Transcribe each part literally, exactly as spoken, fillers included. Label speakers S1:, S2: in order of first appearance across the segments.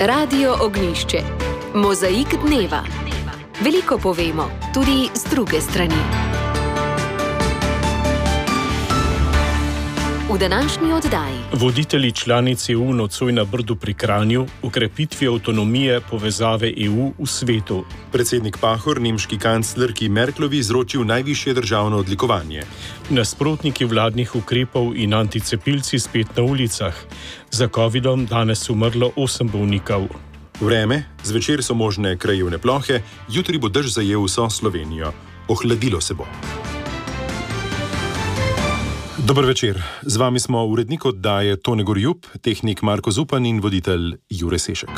S1: Radio Ognjišče. Mozaik dneva. Veliko povemo, tudi z druge strani. V današnji oddaji. Voditelji članic E U nocoj na Brdu pri Kranju, ukrepitvi avtonomije povezave E U v svetu.
S2: Predsednik Pahor nemški kanclerki Merklovi izročil najvišje državno odlikovanje.
S1: Nasprotniki vladnih ukrepov in anticepilci spet na ulicah. Za covidom danes umrlo osem bolnikov.
S2: Vreme, zvečer so možne krajevne plohe, jutri bo dež zajel vso Slovenijo. Ohladilo se bo. Dober večer, z vami smo urednik oddaje Tone Gorjup, tehnik Marko Zupan in voditelj Jure Sešek.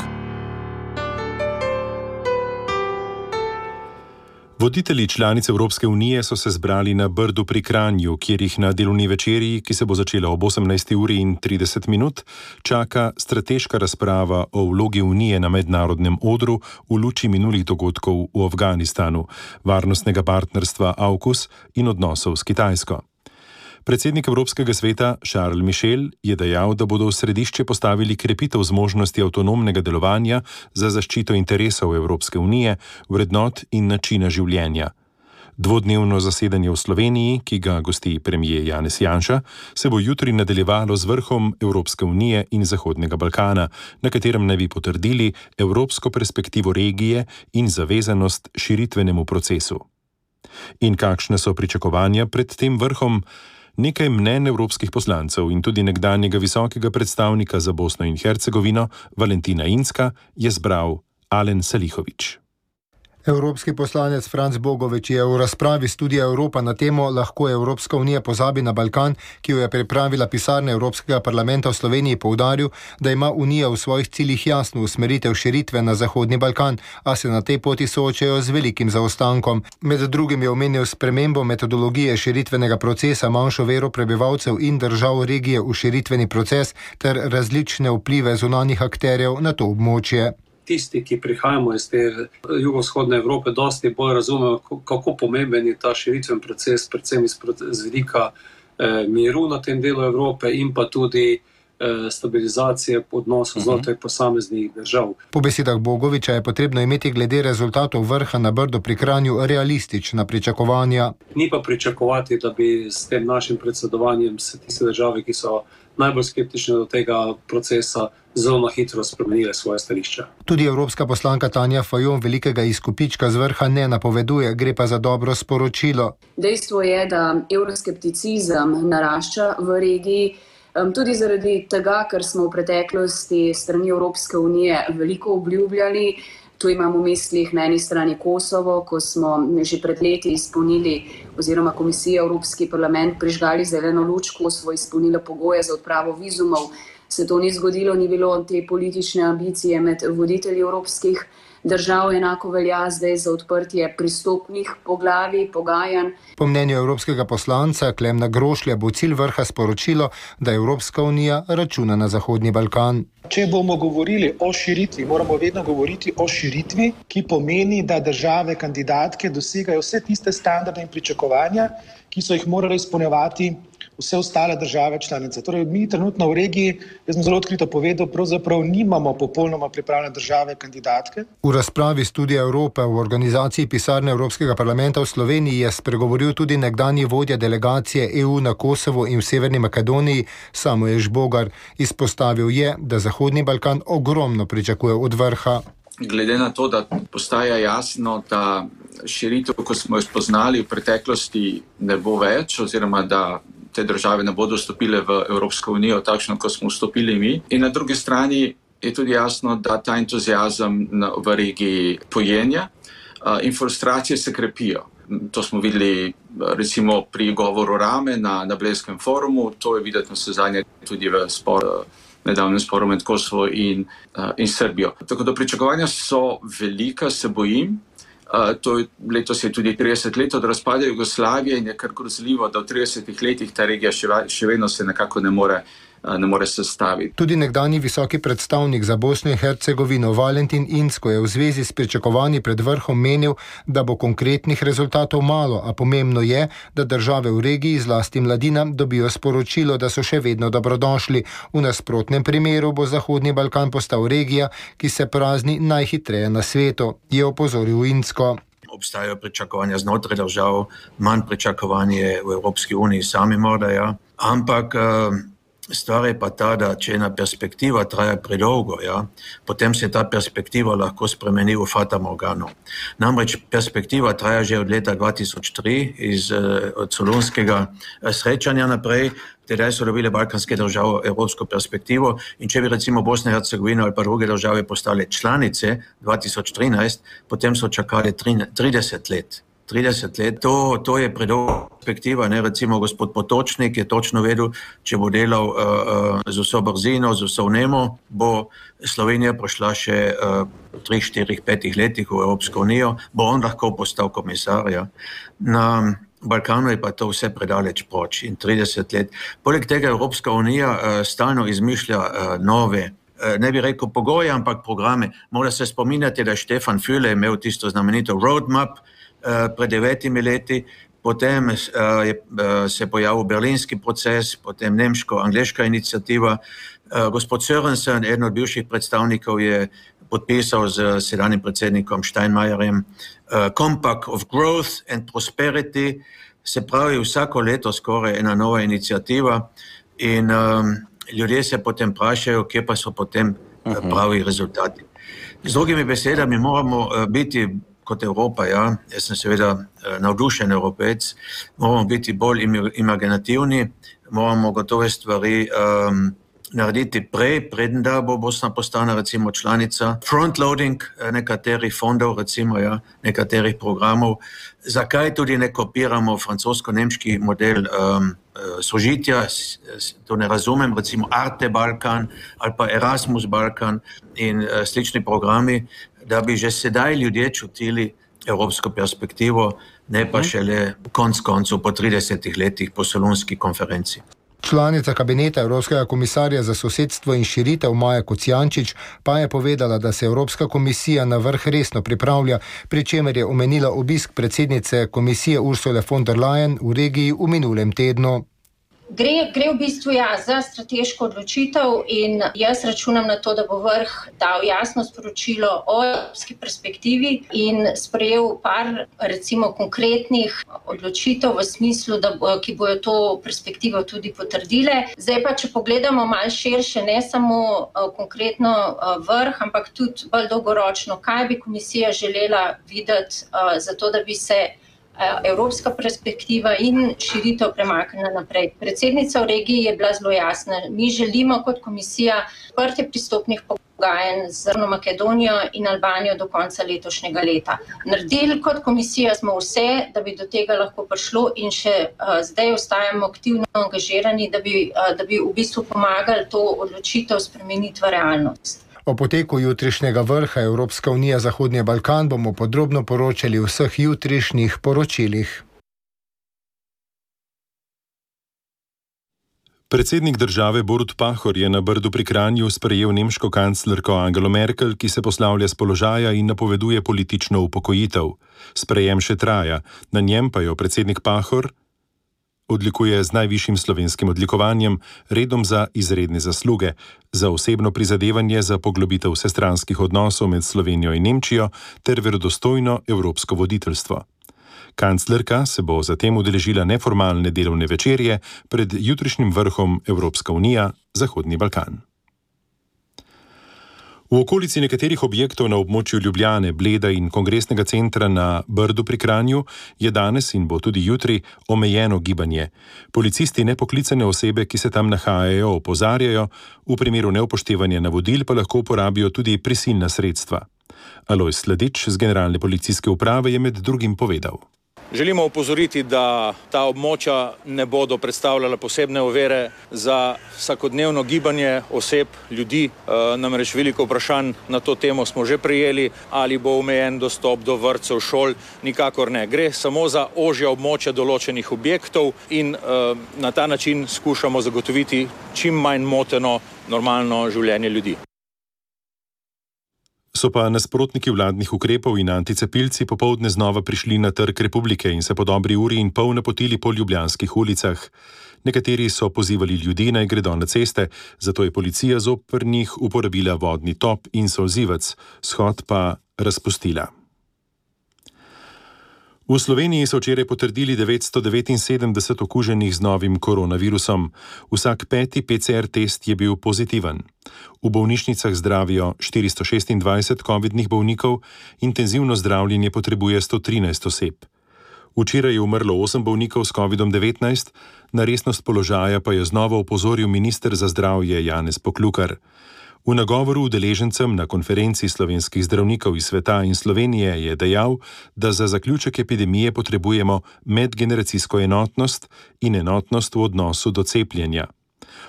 S2: Voditelji članic Evropske unije so se zbrali na Brdu pri Kranju, kjer jih na delovni večerji, ki se bo začela ob osemnajsti uri in trideset minut, čaka strateška razprava o vlogi Unije na mednarodnem odru v luči minulih dogodkov v Afganistanu, varnostnega partnerstva AUKUS in odnosov s Kitajsko. Predsednik Evropskega sveta Charles Michel je dejal, da bodo v središče postavili krepitev zmožnosti avtonomnega delovanja za zaščito interesov Evropske unije, vrednot in načina življenja. Dvodnevno zasedanje v Sloveniji, ki ga gosti premier Janez Janša, se bo jutri nadaljevalo z vrhom Evropske unije in Zahodnega Balkana, na katerem naj bi potrdili evropsko perspektivo regije in zavezanost širitvenemu procesu. In kakšne so pričakovanja pred tem vrhom? Nekaj mnenj evropskih poslancev in tudi nekdanjega visokega predstavnika za Bosno in Hercegovino, Valentina Inzka, je zbral Alen Salihović.
S3: Evropski poslanec Franc Bogovič je v razpravi Studia Evropa na temo Lahko Evropska unija pozabi na Balkan, ki jo je pripravila pisarna Evropskega parlamenta v Sloveniji, poudaril, da ima Unija v svojih ciljih jasno usmeritev širitve na Zahodni Balkan, a se na tej poti soočajo z velikim zaostankom. Med drugim je omenil spremembo metodologije širitvenega procesa, manjšo vero prebivalcev in držav regije v širitveni proces ter različne vplive zunanjih akterjev na to območje.
S4: Tisti, ki prihajamo iz te jugovzhodne Evrope, dosti bolj razumejo, kako pomemben je ta širitven proces, predvsem iz vidika eh, miru na tem delu Evrope in pa tudi eh, stabilizacije odnosov znotraj posameznih držav.
S3: Po besedah Bogoviča je potrebno imeti glede rezultatov vrha na Brdu pri Kranju realistična pričakovanja.
S4: Ni pa pričakovati, da bi s tem našim predsedovanjem se tiste države, ki so najbolj skeptične do tega procesa, zelo na hitro spremenile svoje stališča.
S3: Tudi evropska poslanka Tanja Fajon velikega izkupička z vrha ne napoveduje, gre pa za dobro sporočilo.
S5: Dejstvo je, da evroskepticizem narašča v regiji, tudi zaradi tega, ker smo v preteklosti strani Evropske unije veliko obljubljali. Tu imamo v mislih na eni strani Kosovo, ko smo že pred leti izpolnili, oziroma Komisija Evropski parlament prižgali zeleno luč, Kosovo izpolnilo pogoje za odpravo vizumov. Se to ni zgodilo, ni bilo te politične ambicije med voditelji evropskih držav, enako velja zdaj za odprtje pristopnih poglavij, pogajanj.
S3: Po mnenju evropskega poslanca Klemna Grošlja bo cilj vrha sporočilo, da Evropska unija računa na Zahodni Balkan.
S6: Če bomo govorili o širitvi, moramo vedno govoriti o širitvi, ki pomeni, da države kandidatke dosegajo vse tiste standarde in pričakovanja, ki so jih morali izpolnjevati vse ostale države članice. Torej, mi trenutno v regiji, jaz sem zelo odkrito povedal, pravzaprav nimamo popolnoma pripravljene države kandidatke.
S3: V razpravi Studia Evrope v organizaciji pisarne Evropskega parlamenta v Sloveniji je spregovoril tudi nekdanji vodja delegacije E U na Kosovo in v Severni Makedoniji, Samuel Žbogar. Izpostavil je, da Zahodni Balkan ogromno pričakuje od vrha.
S7: Glede na to, da postaja jasno, da širitev, ko smo jo spoznali v preteklosti, ne bo več, oziroma da te države ne bodo vstopile v Evropsko unijo takšno, kot smo vstopili mi. In na drugi strani je tudi jasno, da ta entuziazem v regiji pojenja in frustracije se krepijo. To smo videli recimo pri govoru Rame na, na Blejskem forumu, to je videti se zadnje tudi v spor, nedavnem sporu med Kosovo in, in Srbijo. Tako da pričakovanja so velika, se bojim. Uh, to je, letos je tudi trideset let od razpada Jugoslavije in je kar grozljivo, da v tridesetih letih ta regija še, še vedno se nekako ne more ne more sestaviti.
S3: Tudi nekdanji visoki predstavnik za Bosno in Hercegovino Valentin Incko je v zvezi s pričakovanji pred vrhom menil, da bo konkretnih rezultatov malo, a pomembno je, da države v regiji, zlasti mladina, dobijo sporočilo, da so še vedno dobrodošli. V nasprotnem primeru bo Zahodni Balkan postal regija, ki se prazni najhitreje na svetu, je opozoril Incko.
S8: Obstajajo pričakovanja znotraj držav, manj pričakovanje v Evropski uniji sami morda, ja. Ampak stvar je pa ta, da če ena perspektiva traja predolgo, ja, potem se ta perspektiva lahko spremeni v fata morgano. Namreč perspektiva traja že od leta dva tisoč tri, iz od solunskega srečanja naprej, tedaj so dobile balkanske države evropsko perspektivo in če bi recimo Bosna in Hercegovina ali pa druge države postale članice dva tisoč trinajst, potem so čakali trideset let. trideset let, to, to je predolga perspektiva, ne, recimo gospod Potočnik je točno vedel, če bo delal uh, uh, z vso brzino, z vso vnemo, bo Slovenija prišla še uh, tri, štiri, petih letih v Evropsko unijo, bo on lahko postal komisar, ja. Na Balkanu je pa to vse predaleč proč in trideset let. Poleg tega Evropska unija uh, stalno izmišlja uh, nove, uh, ne bi rekel pogoje, ampak programe. Morda se spominjate, da je Štefan Füle imel tisto znamenito roadmap uh, pred devetimi leti, potem uh, je uh, se pojavil berlinski proces, potem nemško-angleška iniciativa. Uh, gospod Sørensen, eden od bivših predstavnikov, je podpisal z sedanjim predsednikom Steinmeierjem uh, Compact of Growth and Prosperity, se pravi vsako leto skoraj ena nova iniciativa in um, ljudje se potem vprašajo, kje pa so potem uh, pravi rezultati. Z drugimi besedami moramo uh, biti kot Evropa, ja, jaz sem seveda uh, navdušen Evropejc, moramo biti bolj im- imaginativni, moramo gotove stvari um, narediti prej, preden da bo Bosna postala recimo članica, frontloading nekaterih fondov, recimo ja, nekaterih programov. Zakaj tudi ne kopiramo francosko-nemški model um, sožitja, to ne razumem, recimo Arte Balkan ali pa Erasmus Balkan in uh, slični programi, da bi že sedaj ljudje čutili evropsko perspektivo, ne pa šele konc koncu po tridesetih letih po solunski konferenci.
S3: Članica kabineta Evropskega komisarja za sosedstvo in širitev Maja Kocijančič pa je povedala, da se Evropska komisija na vrh resno pripravlja, pri čemer je omenila obisk predsednice komisije Ursule von der Leyen v regiji v minulem tednu.
S9: Gre, gre v bistvu ja, za strateško odločitev in jaz računam na to, da bo vrh dal jasno sporočilo o evropski perspektivi in sprejel par recimo konkretnih odločitev v smislu, da bo, ki bojo to perspektivo tudi potrdile. Zdaj pa, če pogledamo malo širše, ne samo uh, konkretno uh, vrh, ampak tudi bolj dolgoročno, kaj bi komisija želela videti uh, za to, da bi se evropska perspektiva in širitev premaknila naprej. Predsednica v regiji je bila zelo jasna. Mi želimo kot komisija odprtje pristopnih pogajanj z Makedonijo in Albanijo do konca letošnjega leta. Naredili kot komisija smo vse, da bi do tega lahko prišlo in še uh, zdaj ostajamo aktivno angažirani, da bi, uh, da bi v bistvu pomagali to odločitev spremeniti v realnost.
S3: O poteku jutrišnjega vrha Evropska unija Zahodni Balkan bomo podrobno poročali v vseh jutrišnjih poročilih.
S2: Predsednik države Borut Pahor je na Brdu pri Kranju sprejel nemško kanclerko Angelo Merkel, ki se poslavlja s položaja in napoveduje politično upokojitev. Sprejem še traja, na njem pa jo predsednik Pahor odlikuje z najvišjim slovenskim odlikovanjem, redom za izredne zasluge, za osebno prizadevanje za poglobitev vsestranskih odnosov med Slovenijo in Nemčijo ter verodostojno evropsko voditeljstvo. Kanclerka se bo zatem udeležila neformalne delovne večerje pred jutrišnjim vrhom Evropska unija Zahodni Balkan. V okolici nekaterih objektov na območju Ljubljane, Bleda in kongresnega centra na Brdu pri Kranju je danes in bo tudi jutri omejeno gibanje. Policisti nepoklicane osebe, ki se tam nahajajo, opozarjajo, v primeru neupoštevanja navodil pa lahko uporabijo tudi prisilna sredstva. Alojz Sladič z Generalne policijske uprave je med drugim povedal.
S10: Želimo opozoriti, da ta območja ne bodo predstavljala posebne ovire za vsakodnevno gibanje oseb, ljudi. Namreč veliko vprašanj na to temo smo že prejeli, ali bo omejen dostop do vrtcev, šol, nikakor ne. Gre samo za ožja območja določenih objektov in na ta način skušamo zagotoviti čim manj moteno normalno življenje ljudi.
S2: So pa nasprotniki vladnih ukrepov in anticepilci popoldne znova prišli na Trg Republike in se po dobri uri in pol napotili po ljubljanskih ulicah. Nekateri so pozivali ljudi, naj gredo na ceste, zato je policija zoper njih uporabila vodni top in solzivec, shod pa razpustila. V Sloveniji so včeraj potrdili devetsto devetinsedemdeset okuženih z novim koronavirusom. Vsak peti P C R test je bil pozitiven. V bolnišnicah zdravijo štiristo šestindvajset covidnih bolnikov, intenzivno zdravljenje potrebuje sto trinajst oseb. Včeraj je umrlo osem bolnikov s covidom devetnajst, na resnost položaja pa je znova opozoril minister za zdravje Janez Poklukar. V nagovoru udeležencem na konferenci slovenskih zdravnikov iz sveta in Slovenije je dejal, da za zaključek epidemije potrebujemo medgeneracijsko enotnost in enotnost v odnosu do cepljenja.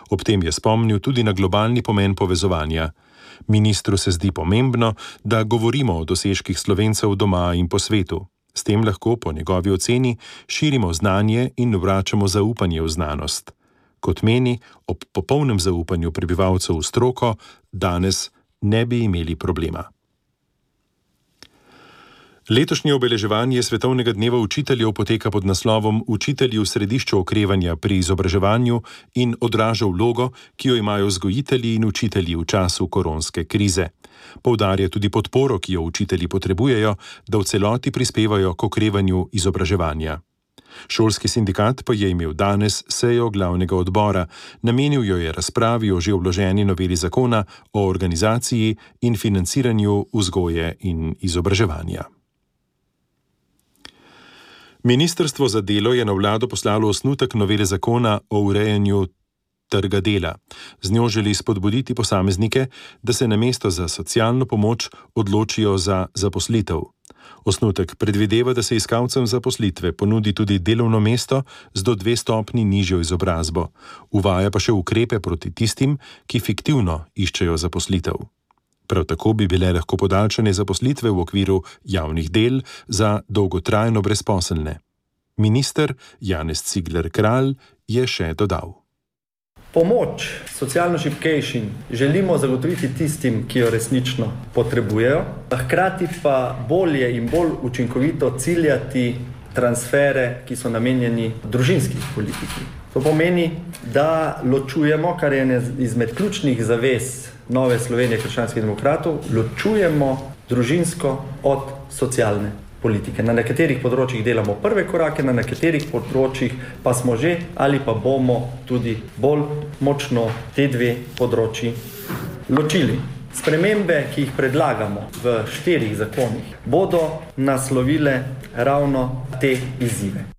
S2: Ob tem je spomnil tudi na globalni pomen povezovanja. Ministru se zdi pomembno, da govorimo o dosežkih Slovencev doma in po svetu. S tem lahko po njegovi oceni širimo znanje in vračamo zaupanje v znanost. Kot meni, ob popolnem zaupanju prebivalcev v stroko danes ne bi imeli problema. Letošnje obeleževanje Svetovnega dneva učiteljev poteka pod naslovom Učitelji v središču okrevanja pri izobraževanju in odraža vlogo, ki jo imajo vzgojitelji in učitelji v času koronske krize. Poudarja tudi podporo, ki jo učitelji potrebujejo, da v celoti prispevajo k okrevanju izobraževanja. Šolski sindikat pa je imel danes sejo glavnega odbora, namenil jo je razpravi o že vloženi noveli zakona o organizaciji in financiranju vzgoje in izobraževanja. Ministrstvo za delo je na vlado poslalo osnutek novele zakona o urejanju trga dela. Z njo želi spodbuditi posameznike, da se namesto za socialno pomoč odločijo za zaposlitev. Osnutek predvideva, da se iskalcem zaposlitve ponudi tudi delovno mesto z do dve stopnji nižjo izobrazbo. Uvaja pa še ukrepe proti tistim, ki fiktivno iščejo zaposlitev. Prav tako bi bile lahko podaljšane zaposlitve v okviru javnih del za dolgotrajno brezposelne. Minister Janez Cigler Kralj je še dodal.
S11: Pomoč socialno šibkejšim želimo zagotoviti tistim, ki jo resnično potrebujejo, hkrati pa bolje in bolj učinkovito ciljati transfere, ki so namenjeni družinski politiki. To pomeni, da ločujemo, kar je ena izmed ključnih zavez Nove Slovenije krščanskih demokratov, ločujemo družinsko od socialne politike. Na nekaterih področjih delamo prve korake, na nekaterih področjih pa smo že ali pa bomo tudi bolj močno te dve področji ločili. Spremembe, ki jih predlagamo v štirih zakonih, bodo naslovile ravno te izzive.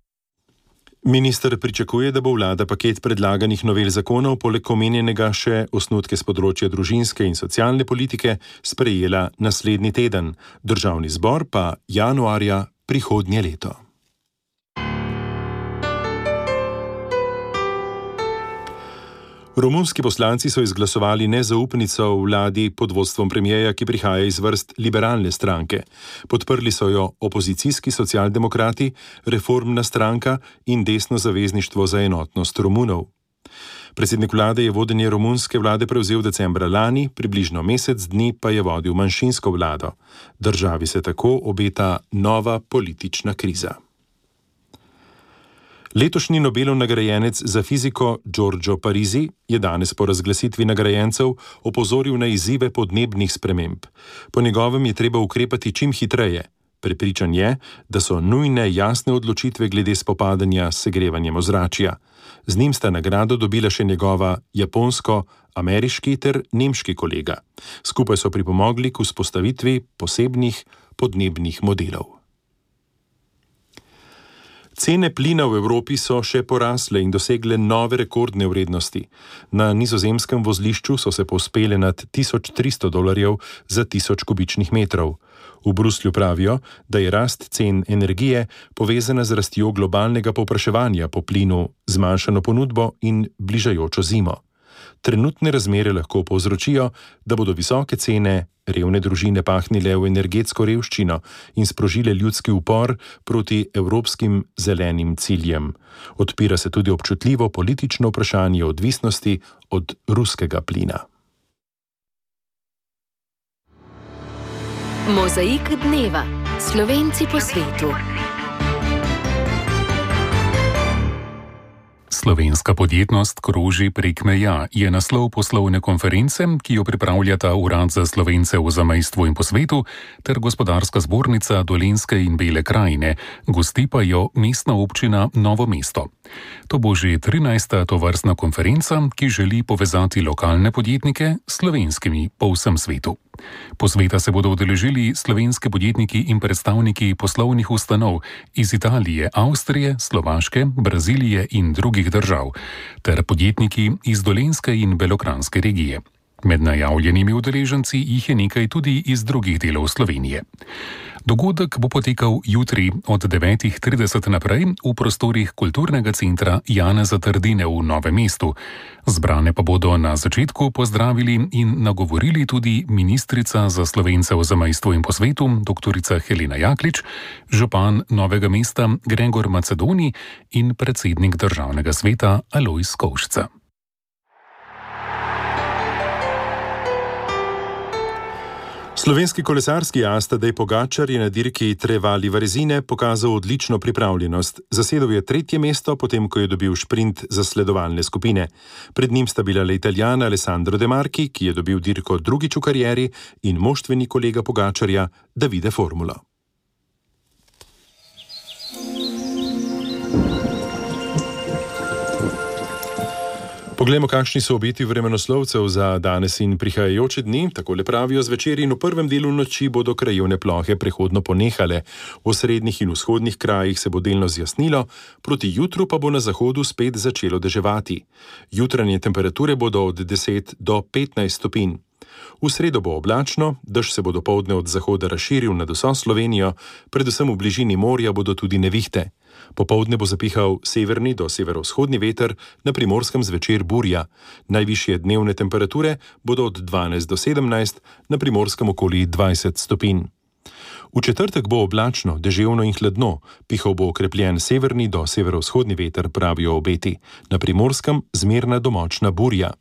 S2: Minister pričakuje, da bo vlada paket predlaganih novel zakonov poleg omenjenega še osnutke s področja družinske in socialne politike sprejela naslednji teden, Državni zbor pa januarja prihodnje leto. Romunski poslanci so izglasovali nezaupnico vladi pod vodstvom premierja, ki prihaja iz vrst liberalne stranke. Podprli so jo opozicijski socialdemokrati, Reformna stranka in Desno zavezništvo za enotnost Romunov. Predsednik vlade je vodenje romunske vlade prevzel decembra lani, približno mesec dni pa je vodil manjšinsko vlado. Državi se tako obeta nova politična kriza. Letošnji Nobelov nagrajenec za fiziko Giorgio Parisi je danes po razglasitvi nagrajencev opozoril na izzive podnebnih sprememb. Po njegovem je treba ukrepati čim hitreje. Prepričan je, da so nujne jasne odločitve glede spopadanja s segrevanjem ozračja. Z njim sta nagrado dobila še njegova japonsko-ameriški ter nemški kolega. Skupaj so pripomogli k vzpostavitvi posebnih podnebnih modelov. Cene plina v Evropi so še porasle in dosegle nove rekordne vrednosti. Na nizozemskem vozlišču so se povzpele nad tisoč tristo dolarjev za tisoč kubičnih metrov. V Bruslju pravijo, da je rast cen energije povezana z rastjo globalnega povpraševanja po plinu, zmanjšano ponudbo in bližajočo zimo. Trenutne razmere lahko povzročijo, da bodo visoke cene revne družine pahnile v energetsko revščino in sprožile ljudski upor proti evropskim zelenim ciljem. Odpira se tudi občutljivo politično vprašanje odvisnosti od ruskega plina.
S12: Mozaik dneva. Slovenci po svetu.
S13: Slovenska podjetnost kroži prek meja je naslov poslovne konference, ki jo pripravljata Urad za Slovence v zamejstvu in po svetu ter Gospodarska zbornica Dolenjske in Bele krajine, gosti pa jo mestna občina Novo mesto. To bo že trinajsta tovrstna konferenca, ki želi povezati lokalne podjetnike s slovenskimi po vsem svetu. Posveta se bodo udeležili slovenski podjetniki in predstavniki poslovnih ustanov iz Italije, Avstrije, Slovaške, Brazilije in drugih držav, ter podjetniki iz Dolenjske in Belokranjske regije. Med najavljenimi udeleženci jih je nekaj tudi iz drugih delov Slovenije. Dogodek bo potekal jutri od devetih trideset naprej v prostorih kulturnega centra Janeza Trdine v Novem mestu. Zbrane pa bodo na začetku pozdravili in nagovorili tudi ministrica za Slovence v zamejstvu in po svetu, doktorica Helena Jaklič, župan Novega mesta Gregor Macedoni in predsednik državnega sveta Alojz Kovšca.
S2: Slovenski kolesarski as Tadej Pogačar je na dirki Trevali Varezine pokazal odlično pripravljenost. Zasedel je tretje mesto, potem ko je dobil šprint zasledovalne skupine. Pred njim sta bila le Italijan Alessandro De Marchi, ki je dobil dirko drugič v karieri, in moštveni kolega Pogačarja Davide Formulo. Poglejmo, kakšni so obeti vremenoslovcev za danes in prihajajoče dni. Takole pravijo zvečer in v prvem delu noči bodo krajevne plohe prehodno ponehale. V srednjih in vzhodnih krajih se bo delno zjasnilo, proti jutru pa bo na zahodu spet začelo deževati. Jutranje temperature bodo od deset do petnajst stopinj. V sredo bo oblačno, dež se bo dopoldne od zahoda razširil nad vso Slovenijo, predvsem v bližini morja bodo tudi nevihte. Popoldne bo zapihal severni do severovzhodni veter, na Primorskem zvečer burja. Najvišje dnevne temperature bodo od dvanajst do sedemnajst, na Primorskem okoli dvajset stopinj. V četrtek bo oblačno, deževno in hladno, pihal bo okrepljen severni do severovzhodni veter, pravijo obeti. Na Primorskem zmerna do močna burja.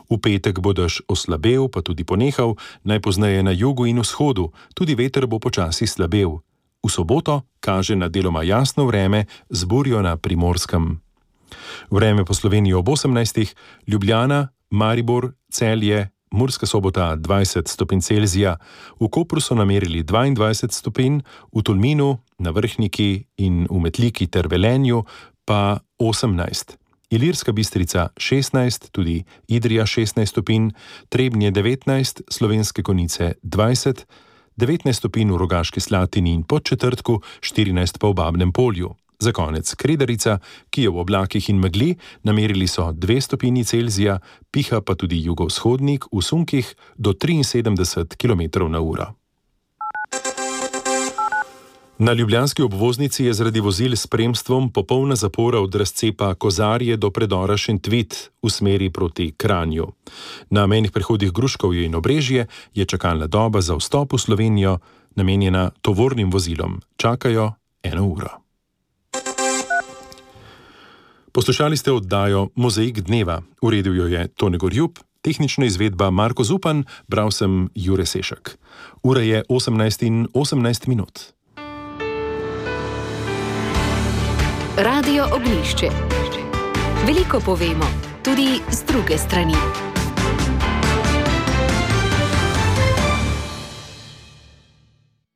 S2: V petek bo dež oslabel, pa tudi ponehal, najpozneje na jugu in vzhodu, tudi veter bo počasi slabel. V soboto kaže na deloma jasno vreme z burjo na Primorskem. Vreme po Sloveniji ob osemnajstih, Ljubljana, Maribor, Celje, Murska Sobota dvajset stopinj Celzija, v Kopru so namerili dvaindvajset stopinj, v Tolminu, na Vrhniki in v Metliki ter Velenju pa osemnajst. Ilirska Bistrica šestnajst, tudi Idrija šestnajst stopinj, Trebnje devetnajst, Slovenske Konjice dvajset, devetnajst stopinj v Rogaški Slatini in Podčetrtku, štirinajst pa v Babnem Polju. Za konec Kredarica, ki je v oblakih in megli, namerili so dve stopinji Celzija, piha pa tudi jugovzhodnik v sunkih do triinsedemdeset kilometrov na uro. Na ljubljanski obvoznici je zaradi vozil s spremstvom popolna zapora od razcepa Kozarje do predora Šentvit v smeri proti Kranju. Na mejnih prehodih Gruškovje in Obrežje je čakalna doba za vstop v Slovenijo namenjena tovornim vozilom. Čakajo eno uro. Poslušali ste oddajo Mozaik dneva. Uredil jo je Tone Gorjub, tehnična izvedba Marko Zupan, bral sem Jure Sešek. Ura je osemnajst in osemnajst minut.
S12: Radio Ognjišče. Veliko povemo, tudi z druge strani.